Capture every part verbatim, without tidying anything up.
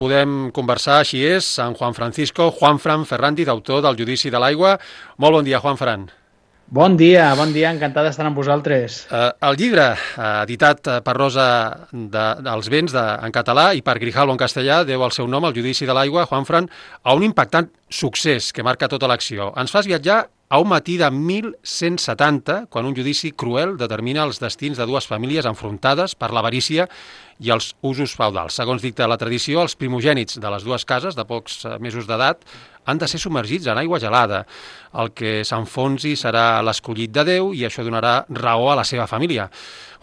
Podem conversar, així és, amb Juan Francisco Juanfran Ferrandi, autor del Judici de l'Aigua. Molt bon dia, Juanfran. Bon dia, bon dia, encantat d'estar amb vosaltres. Eh, el llibre, eh, editat per Rosa de, dels Vents de, en català i per Grijalbo en castellà, deu el seu nom, el Judici de l'Aigua, Juanfran, a un impactant succés que marca tota l'acció. Ens fas viatjar a un matí de mil cent setanta, quan un judici cruel determina els destins de dues famílies enfrontades per l'avarícia i els usos feudals. Segons dicta la tradició, els primogènits de les dues cases, de pocs mesos d'edat, han de ser submergits en aigua gelada. El que s'enfonsi serà l'escollit de Déu i això donarà raó a la seva família.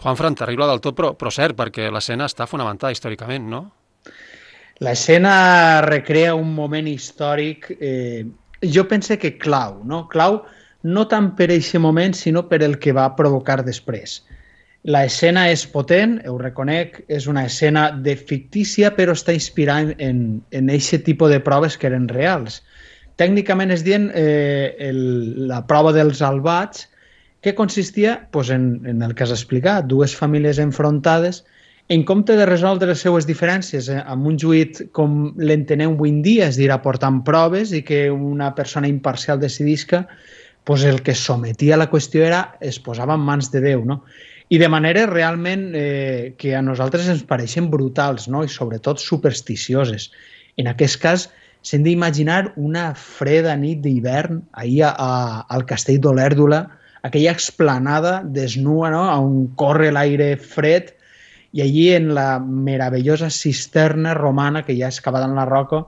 Juanfran, terrible del tot, però, però cert, perquè l'escena està fonamentada històricament, no? L'escena recrea un moment històric, eh, jo pense que clau, no? Clau no tant per aquest moment, sinó per el que va provocar després. L'escena és potent, ho reconec, és una escena de fictícia, però està inspirada en aquest tipus de proves que eren reals. Tècnicament es dient eh, el, la prova dels albats, que consistia pues, en, en el que has explicat, dues famílies enfrontades, en compte de resoldre les seues diferències eh, amb un juit com l'entenem avui en dia, és a dir, aportant proves i que una persona imparcial decidisca, pues, el que sometia a la qüestió era, es posava en mans de Déu, no? I de manera realment eh, que a nosaltres ens pareixen brutals, no? I sobretot supersticioses. En aquest cas, s'hem d'imaginar una freda nit d'hivern ahir a, a, al castell d'Olèrdola, aquella explanada desnua, no? On corre l'aire fred, i allí en la meravellosa cisterna romana que hi ha excavada en la roca,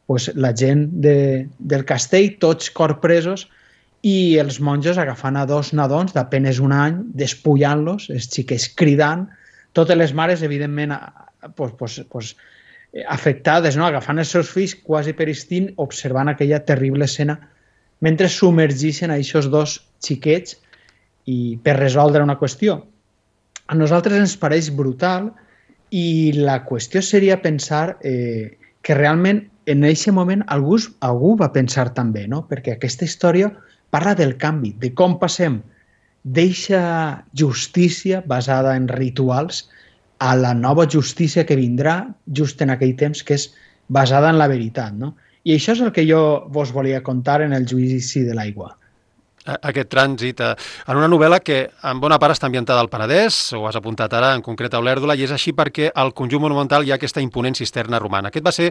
pues, la gent de, del castell, tots corpresos, i els monjos agafant a dos nadons d'apenes un any, despullant-los, els xiquets cridant, totes les mares, evidentment, pues, pues, pues, afectades, no? Agafant els seus fills quasi per instint, observant aquella terrible escena, mentre submergeixen a aquests dos xiquets i per resoldre una qüestió. A nosaltres ens pareix brutal i la qüestió seria pensar eh, que realment en aquest moment algú, algú va pensar també, no? Perquè aquesta història parla del canvi, de com passem d'eixa justícia basada en rituals a la nova justícia que vindrà just en aquell temps, que és basada en la veritat, no? I això és el que jo vos volia contar en el Judici de l'Aigua. Aquest trànsit en una novel·la que en bona part està ambientada al Penedès, ho has apuntat ara, en concret a Olèrdola, i és així perquè al conjunt monumental hi ha aquesta imponent cisterna romana. Aquest va ser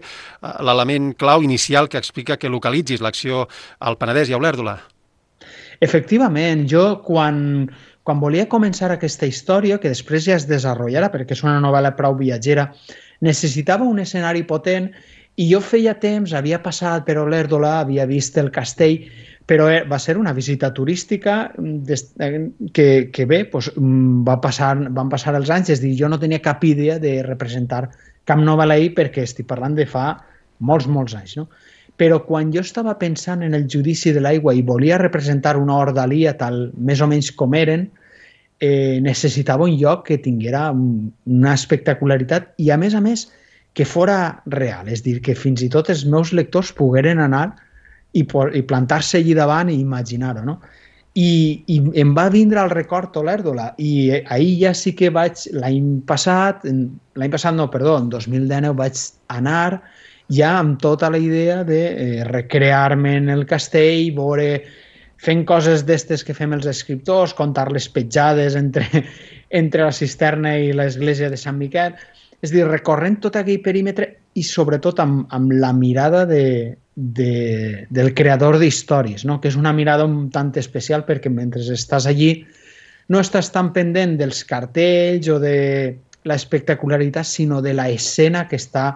l'element clau inicial que explica que localitzis l'acció al Penedès i a Olèrdola. Efectivament, jo quan, quan volia començar aquesta història, que després ja es desenvoluparà perquè és una novel·la prou viatgera, necessitava un escenari potent i jo feia temps, havia passat per Olèrdola, havia vist el castell, però va ser una visita turística que, que bé, doncs va passar, van passar els anys, és a dir, jo no tenia cap idea de representar cap novel·la ahir perquè estic parlant de fa molts, molts anys, no? Però quan jo estava pensant en el Judici de l'Aigua i volia representar una ordalia tal més o menys com eren, eh, necessitava un lloc que tinguera una espectacularitat i, a més a més, que fora real, és a dir, que fins i tot els meus lectors pogueren anar i, i plantar-se allí davant i imaginar-ho, no? I, i em va vindre al record Olèrdola i ahir ja sí que vaig, l'any passat, l'any passat no, perdó, en dos mil dinou vaig anar ja amb tota la idea de eh, recrear-me en el castell, veure, fent coses d'estes que fem els escriptors, contar les petjades entre, entre la cisterna i l'església de Sant Miquel, és a dir, recorrent tot aquell perímetre i sobretot amb, amb la mirada de, de, del creador d'històries, no? Que és una mirada un tant especial perquè mentre estàs allí no estàs tan pendent dels cartells o de l'espectacularitat, sinó de la escena que està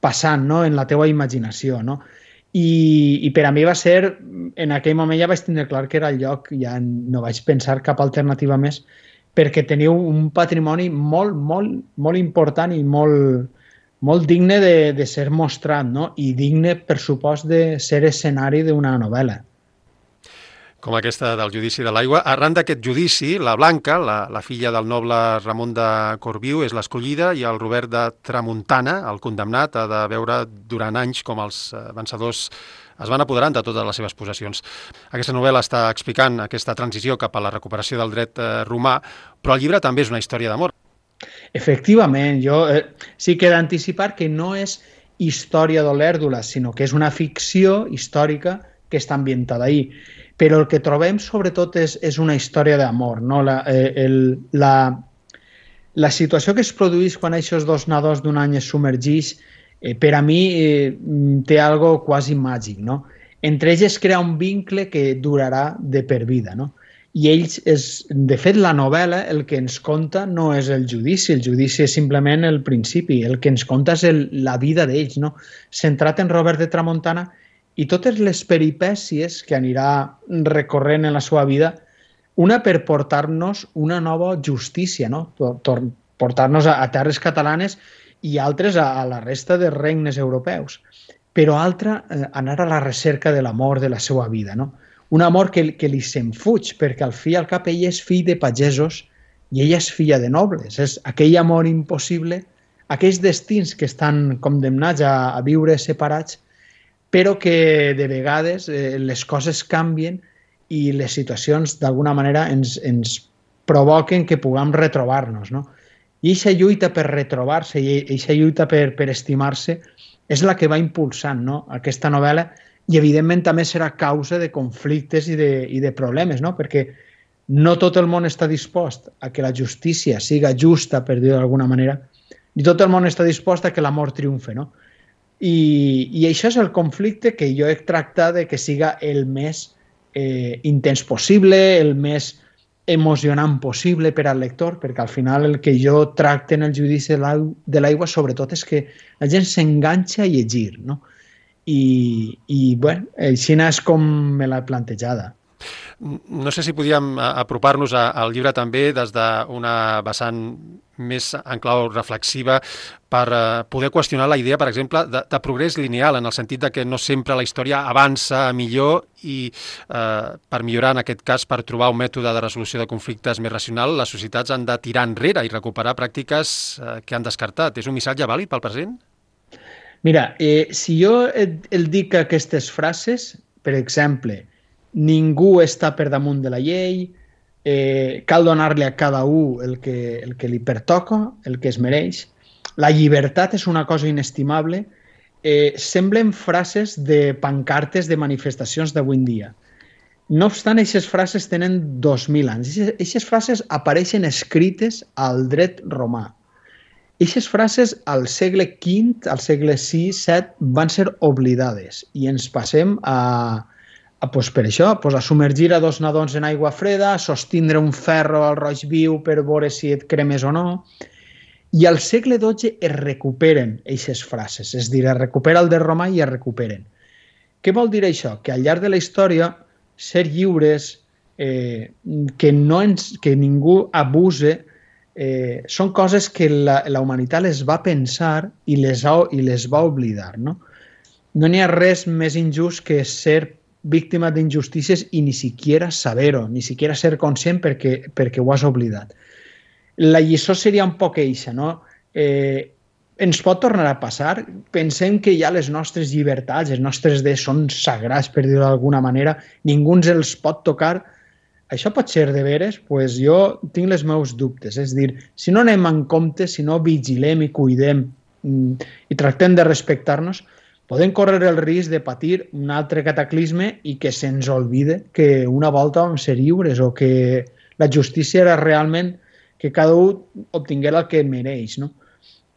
passant, no? En la teua imaginació, no? I, i per a mi va ser, en aquell moment ja vaig tindre clar que era el lloc, ja no vaig pensar cap alternativa més, perquè teniu un patrimoni molt, molt, molt important i molt, molt digne de, de ser mostrat, no? I digne, per supost, de ser escenari d'una novel·la. Com aquesta del Judici de l'Aigua. Arran d'aquest judici, la Blanca, la, la filla del noble Ramon de Corbiu, és l'escollida i el Robert de Tramuntana, el condemnat, ha de veure durant anys com els vencedors es van apoderant de totes les seves possessions. Aquesta novel·la està explicant aquesta transició cap a la recuperació del dret romà, però el llibre també és una història d'amor. Efectivament, jo eh, sí que he d'anticipar que no és història d'Olèrdola, sinó que és una ficció històrica que està ambientada ahí. Però el que trobem sobretot és, és una història d'amor, no? La, eh, el, la, la situació que es produeix quan aquests dos nadons d'un any es submergeix, eh, per a mi eh, té algo quasi màgic, no? Entre ells es crea un vincle que durarà de per vida, no? I ells, és, de fet, la novel·la el que ens conta no és el judici, el judici és simplement el principi, el que ens conta és el, la vida d'ells, no? Centrat en Robert de Tramuntana i totes les peripècies que anirà recorrent en la seva vida, una per portar-nos una nova justícia, no? Portar-nos a, a terres catalanes i altres a, a la resta de regnes europeus, però altra eh, anar a la recerca de l'amor de la seva vida, no? Un amor que, que li se'n fuig, perquè al fi i al cap ell és fill de pagesos i ella és filla de nobles. És aquell amor impossible, aquells destins que estan condemnats a, a viure separats, però que de vegades eh, les coses canvien i les situacions d'alguna manera ens, ens provoquen que puguem retrobar-nos, no? I aquesta lluita per retrobar-se i aquesta lluita per, per estimar-se és la que va impulsant, no? Aquesta novel·la. I, evidentment, també serà causa de conflictes i de, i de problemes, no? Perquè no tot el món està dispost a que la justícia siga justa, per dir-ho d'alguna manera, ni tot el món està dispost a que l'amor triomfe, no? I, I això és el conflicte que jo he tractat de que siga el més eh, intens possible, el més emocionant possible per al lector, perquè al final el que jo tracte en el judici de l'aigua sobretot és que la gent s'enganxa a llegir, no? I, i bueno, així és com me l'he plantejada. No sé si podíem apropar-nos al llibre també des d'una vessant més en clau reflexiva per poder qüestionar la idea, per exemple, de, de progrés lineal, en el sentit de que no sempre la història avança millor i eh, per millorar, en aquest cas, per trobar un mètode de resolució de conflictes més racional, les societats han de tirar enrere i recuperar pràctiques eh, que han descartat. És un missatge vàlid pel present? Mira, eh, si jo et, el dic aquestes frases, per exemple, ningú està per damunt de la llei, eh, cal donar-li a cada un el que, el que li pertoca, el que es mereix, la llibertat és una cosa inestimable, eh, semblen frases de pancartes de manifestacions d'avui en dia. No obstant, aquestes frases tenen dos mil anys. Aquestes frases apareixen escrites al dret romà. Aquestes frases al segle quint, al segle sis, set, van ser oblidades i ens passem a, a pues per això, pues a submergir a dos nadons en aigua freda, a sostindre un ferro al roig viu per veure si et cremes o no. I al segle dotze es recuperen aquestes frases, és a dir, es recupera el de romà i es recuperen. Què vol dir això? Que al llarg de la història, ser lliures, eh, que, no ens, que ningú abuse, Eh, són coses que la, la humanitat les va pensar i les, ha, i les va oblidar, no? No n'hi ha res més injust que ser víctima d'injustícies i ni siquiera saber-ho, ni siquiera ser conscient perquè, perquè ho has oblidat. La lliçó seria un poc eixa, no? Eh, ens pot tornar a passar? Pensem que ja les nostres llibertats, els nostres drets són sagrats, per dir-ho d'alguna manera, ningú ens els pot tocar. Això pot ser de veres? Pues jo tinc els meus dubtes. És a dir, si no anem en compte, si no vigilem i cuidem i tractem de respectar-nos, podem córrer el risc de patir un altre cataclisme i que se'ns oblide que una volta vam ser lliures o que la justícia era realment que cada un obtingués el que mereix, no?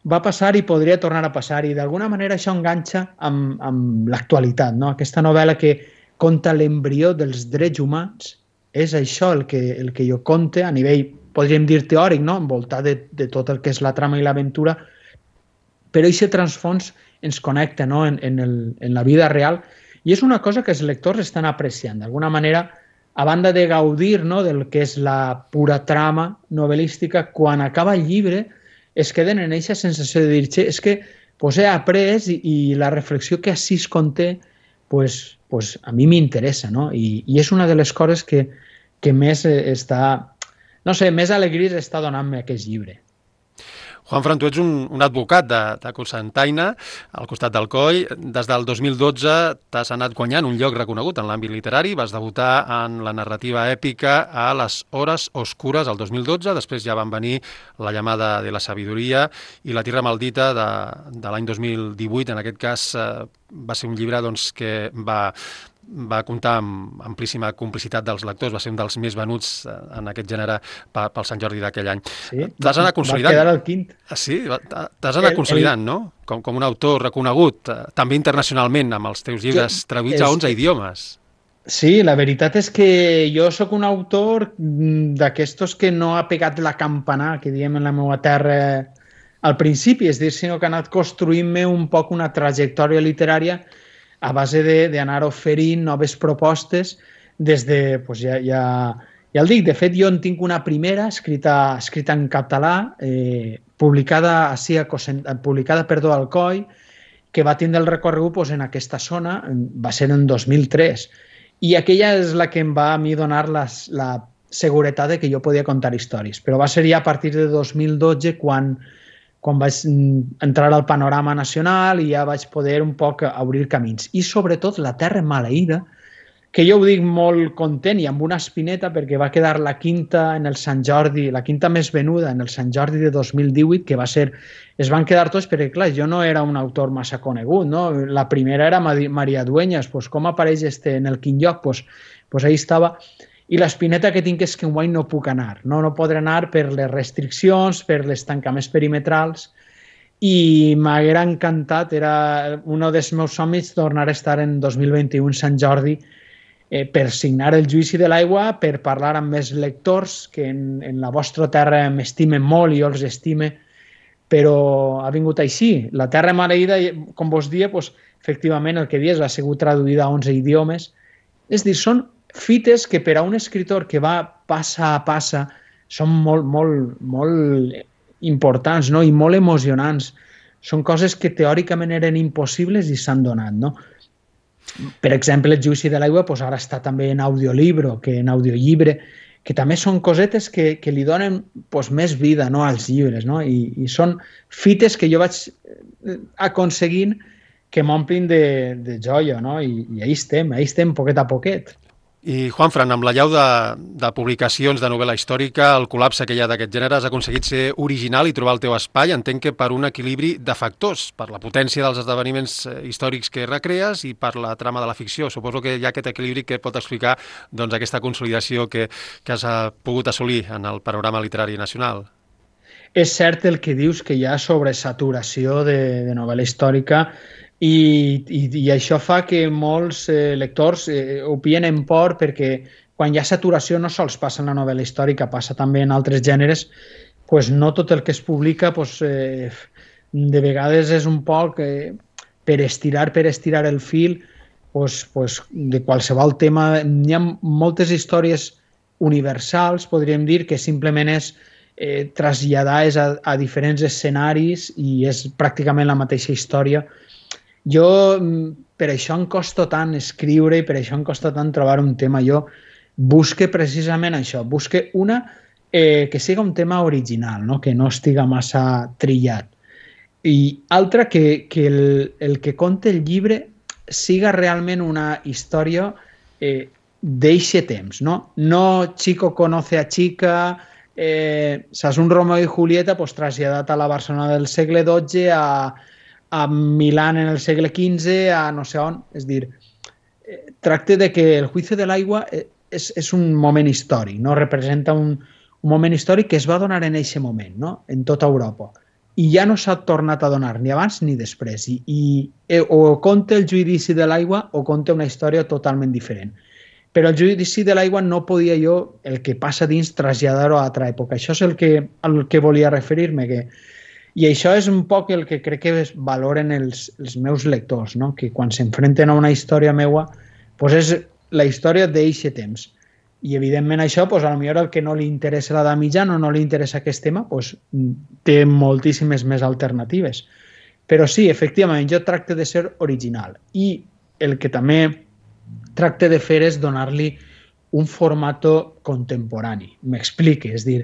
Va passar i podria tornar a passar i d'alguna manera això enganxa amb, amb l'actualitat, no? Aquesta novel·la que conta l'embrió dels drets humans és això el que, el que jo conte a nivell, podríem dir, teòric, no? Envoltat de, de tot el que és la trama i l'aventura, però aquest transfons ens connecta, no? en, en, el, en la vida real i és una cosa que els lectors estan apreciant. D'alguna manera, a banda de gaudir, no? del que és la pura trama novel·lística, quan acaba el llibre es queden en aquesta sensació de dir, és que pues, he après i, i la reflexió que així es conté pues, pues a mi m'interessa, no? I, i és una de les coses que, que més està, no sé, més alegries està donant-me aquest llibre. Juanfran, tu ets un, un advocat de, de Cocentaina, al costat d'Alcoi. Des del dos mil dotze t'has anat guanyant un lloc reconegut en l'àmbit literari, vas debutar en la narrativa èpica a Les hores oscures el dos mil dotze, després ja van venir La llamada de la sabidoria i La tierra maldita de, de l'any dos mil divuit. En aquest cas eh, va ser un llibre doncs, que va... va comptar amb amplíssima complicitat dels lectors, va ser un dels més venuts en aquest gènere pel Sant Jordi d'aquell any. Sí, t'has anat consolidant. Va quedar el quint. Sí, t'has anat el, consolidant, el... no? Com, com un autor reconegut, també internacionalment, amb els teus llibres jo, traduïts és... a onze idiomes. Sí, la veritat és que jo sóc un autor d'aquestos que no ha pegat la campana, que diem en la meva terra al principi, és dir, sinó que ha anat construint-me un poc una trajectòria literària a base d'anar oferint noves propostes des de, doncs ja, ja, ja el dic, de fet jo en tinc una primera escrita, escrita en català, eh, publicada, així a Cosent, publicada perdó, al Alcoi, que va tindre el recorregut doncs, en aquesta zona, va ser en dos mil tres, i aquella és la que em va a mi donar les, la seguretat de que jo podia contar històries, però va ser ja a partir de dos mil dotze quan quan vaig entrar al panorama nacional i ja vaig poder un poc obrir camins. I sobretot La terra maleïda, que jo ho dic molt content i amb una espineta perquè va quedar la quinta en el Sant Jordi, la quinta més venuda en el Sant Jordi de dos mil divuit, que va ser... Es van quedar tots perquè, clar, jo no era un autor massa conegut, no? La primera era Maria Dueñas, pues, com apareix este en el quin lloc? Pues, pues ahí estava... I l'espineta que tinc és que enguany no puc anar. No, no podré anar per les restriccions, per els tancaments perimetrals, i m'haguera encantat, era un dels meus somnis tornar a estar en dos mil vint-i-u en Sant Jordi eh, per signar el Judici de l'aigua, per parlar amb més lectors que en, en la vostra terra m'estimen molt i jo els estime, però ha vingut així. La terra maleïda, com vos dia, doncs, efectivament el que dius ha sigut traduïda a onze idiomes. És dir, són fites que per a un escritor que va passa a passa són molt, molt, molt importants, no? I molt emocionants. Són coses que teòricament eren impossibles i s'han donat, no? Per exemple, el Judici de l'aigua doncs ara està també en audiolibro que en audiollibre, que també són cosetes que, que li donen doncs, més vida, no, als llibres, no? I, i són fites que jo vaig aconseguint que m'omplin de, de joia, no? I, i ahí estem, ahí estem poquet a poquet. I, Juanfran, amb la llau de, de publicacions de novel·la històrica, el col·lapse que hi ha d'aquest gènere, has aconseguit ser original i trobar el teu espai, entenc que per un equilibri de factors, per la potència dels esdeveniments històrics que recrees i per la trama de la ficció. Suposo que hi ha aquest equilibri que pot explicar doncs, aquesta consolidació que, que has pogut assolir en el panorama literari nacional. És cert el que dius, que hi ha sobresaturació de, de novel·la històrica. I, i, i això fa que molts eh, lectors eh, ho pillen en por perquè quan hi ha saturació no sols passa en la novel·la històrica, passa també en altres gèneres, pues no tot el que es publica pues, eh, de vegades és un poc eh, per estirar, per estirar el fil pues, pues, de qualsevol tema. Hi ha moltes històries universals, podríem dir, que simplement és eh, traslladades a, a diferents escenaris i és pràcticament la mateixa història. Jo, per això em costa tant escriure i per això em costa tant trobar un tema. Jo busque precisament això, busque una eh, que siga un tema original, no? Que no estiga massa trillat. I altra, que, que el, el que conta el llibre siga realment una història eh, d'eixe temps, no? No Chico conoce a chica, eh, saps, un Romeo i Julieta pues, traslladat a la Barcelona del segle dotze, a a Milán en el segle quinze, a no sé on. És dir, eh, tracta de que el Juicio de l'aigua és, és un moment històric, no? Representa un, un moment històric que es va donar en aquest moment, no? En tota Europa. I ja no s'ha tornat a donar, ni abans ni després. I, i eh, o conta el Judici de l'aigua o conta una història totalment diferent. Però el Judici de l'aigua no podia jo, el que passa dins, traslladar-ho a altra època. Això és el que, el que volia referir-me, que i això és un poc el que crec que valoren els, els meus lectors, no? Que quan s'enfrenten a una història meua, doncs és la història d'eixe temps. I evidentment això, doncs, a lo millor el que no li interessa l'edat mitjana o no li interessa aquest tema, doncs, té moltíssimes més alternatives. Però sí, efectivament, jo tracte de ser original. I el que també tracte de fer és donar-li un format contemporani. M'explique, és dir,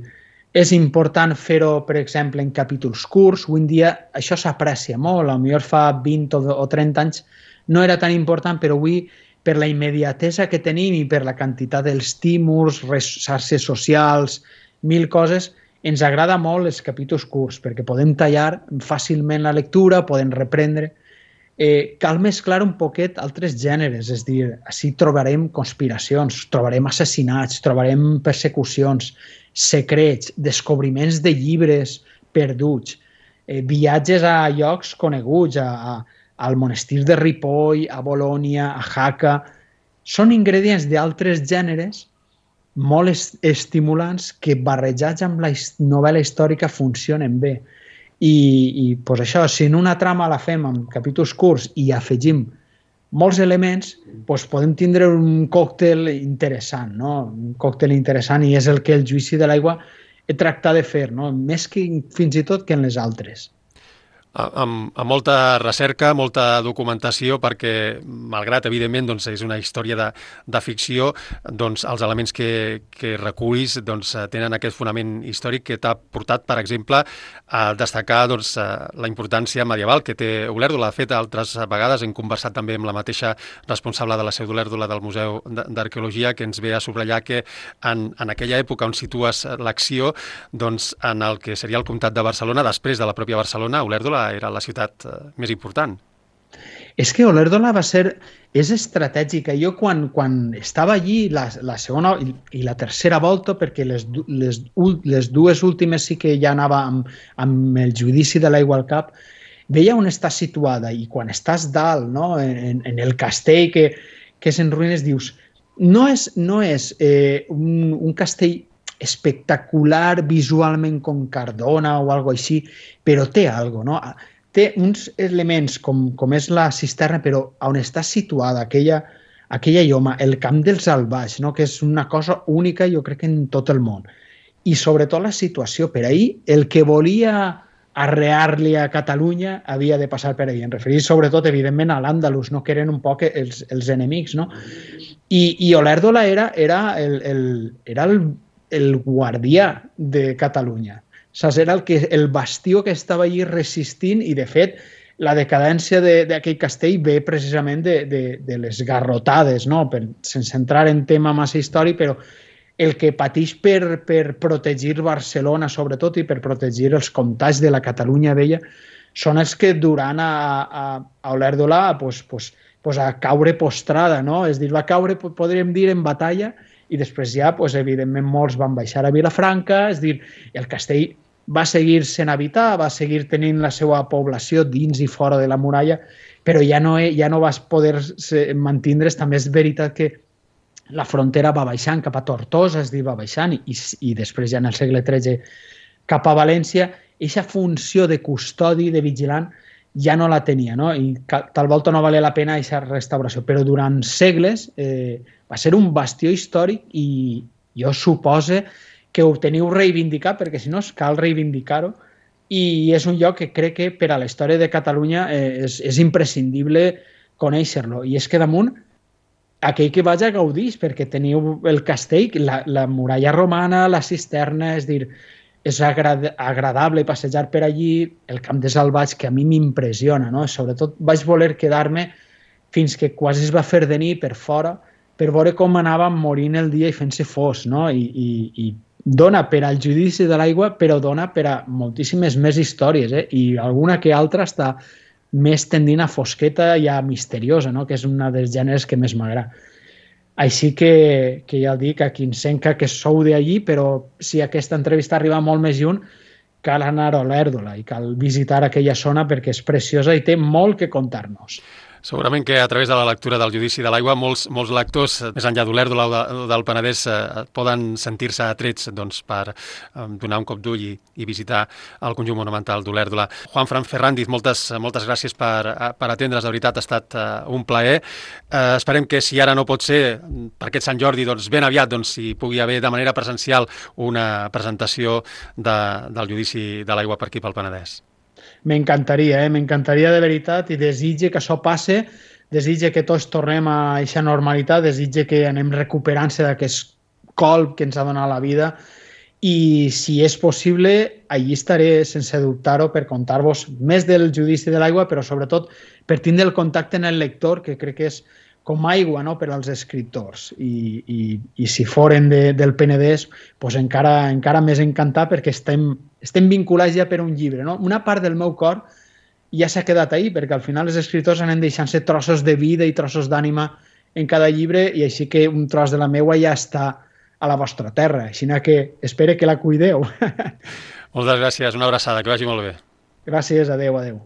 És important fer-ho, per exemple, en capítols curts. Avui en dia això s'aprecia molt, potser fa vint o trenta anys no era tan important, però avui, per la immediatesa que tenim i per la quantitat d'estímuls, xarxes socials, mil coses, ens agrada molt els capítols curts, perquè podem tallar fàcilment la lectura, podem reprendre. Eh, cal mesclar un poquet altres gèneres, és a dir, així trobarem conspiracions, trobarem assassinats, trobarem persecucions, secrets, descobriments de llibres perduts, eh, viatges a llocs coneguts, a, a, al monestir de Ripoll, a Bolònia, a Jaca. Són ingredients d'altres gèneres molt est estimulants que barrejats amb la novel·la històrica funcionen bé. I, i pues això, si en una trama la fem amb capítols curts i afegim molts elements, pues podem tindre un còctel interessant, no? Un còctel interessant, i és el que el Judici de l'Aigua he tractat de fer, no? Més que fins i tot que en les altres. Amb, amb molta recerca, molta documentació, perquè, malgrat, evidentment, doncs, és una història de, de ficció, doncs, els elements que, que recullis doncs, tenen aquest fonament històric que t'ha portat, per exemple, a destacar doncs, la importància medieval que té Olèrdola. De fet, altres vegades hem conversat també amb la mateixa responsable de la seu d'Olèrdola del Museu d'Arqueologia, que ens ve a subratllar que en, en aquella època on situes l'acció, doncs, en el que seria el comtat de Barcelona, després de la pròpia Barcelona, Olèrdola era la ciutat més important. És que Olèrdola va ser... És estratègica. Jo quan, quan estava allí, la, la segona i, i la tercera volta, perquè les, les, les dues últimes sí que ja anava amb, amb el Judici de l'Aigua al cap, veia on està situada, i quan estàs dalt, no? en, en el castell que, que és en ruïnes, dius, no és, no és eh, un, un castell espectacular visualment com Cardona o algo així, però té algo, no? Té uns elements com, com és la cisterna, però on està situada aquella, aquella lloma, el camp dels Albaix, no? Que és una cosa única, jo crec, en tot el món. I sobretot la situació. Per ahir, el que volia arrear-li a Catalunya havia de passar per ahir. Em referís sobretot, evidentment, a l'Àndalus, no? Que eren un poc els, els enemics, no? I, i Olèrdola era, era el, el, era el el guardià de Catalunya. Saps? Era el, que, el bastió que estava allí resistint, i de fet la decadència d'aquell castell ve precisament de, de, de les garrotades, no? Per, sense entrar en tema massa històric, però el que pateix per, per protegir Barcelona, sobretot, i per protegir els comtats de la Catalunya vella, són els que duran a, a, a Olèrdola pues, pues, pues a caure postrada, no? És dir, va caure, podríem dir, en batalla, i després ja, pues, evidentment, molts van baixar a Vilafranca, és dir, el castell va seguir sent habitat, va seguir tenint la seva població dins i fora de la muralla, però ja no, ja no vas poder mantindre's. També és veritat que la frontera va baixant cap a Tortosa, és dir, va baixant, i, i després ja en el segle tretze cap a València, aquesta funció de custodi, de vigilant, ja no la tenia, no? I tal volta no valia la pena aquesta restauració, però durant segles eh, va ser un bastió històric, i jo supose que ho teniu reivindicat, perquè si no cal reivindicar-ho, i és un lloc que crec que per a la història de Catalunya eh, és, és imprescindible conèixer-lo. I és que damunt, aquell que vaja gaudís, perquè teniu el castell, la, la muralla romana, la cisterna, és dir, és agrad agradable passejar per allí, el camp de Salvatge, que a mi m'impressiona, no? Sobretot vaig voler quedar-me fins que quasi es va fer de nit per fora, per veure com anava morint el dia i fent-se fos, no? I, i, i dona per al Judici de l'Aigua, però dona per a moltíssimes més històries, eh? I alguna que altra està més tendint a fosqueta i a misteriosa, no? Que és una dels gèneres que més m'agrada. Així que, que ja dic, a qui encenca que sou d'allí, però si aquesta entrevista arriba molt més lluny, cal anar a Olèrdola i cal visitar aquella zona perquè és preciosa i té molt que contar-nos. Segurament que a través de la lectura del Judici de l'Aigua molts, molts lectors, més enllà d'Olèrdola o de, del Penedès, eh, poden sentir-se atrets doncs, per eh, donar un cop d'ull i, i visitar el conjunt monumental d'Olèrdola. Juanfran Ferrandiz, moltes, moltes gràcies per, per atendre's, de veritat ha estat eh, un plaer. Eh, esperem que si ara no pot ser per aquest Sant Jordi, doncs ben aviat doncs, hi pugui haver de manera presencial una presentació de, del Judici de l'Aigua per aquí pel Penedès. M'encantaria, eh? M'encantaria de veritat, i desitge que això passe, desitge que tots tornem a aquesta normalitat, desitge que anem recuperant-se d'aquest colp que ens ha donat la vida i si és possible, allí estaré sense dubtar-ho per contar-vos més del Judici de l'Aigua, però sobretot per tindre el contacte en el lector, que crec que és com aigua, no?, per als escriptors. I, i, i si foren de, del Penedès, pues encara, encara més encantat, perquè estem, estem vinculats ja per un llibre. No? Una part del meu cor ja s'ha quedat ahí, perquè al final els escriptors anem deixant-se trossos de vida i trossos d'ànima en cada llibre, i així que un tros de la meua ja està a la vostra terra. Així que espero que la cuideu. Moltes gràcies, una abraçada, que vagi molt bé. Gràcies, adeu, adeu.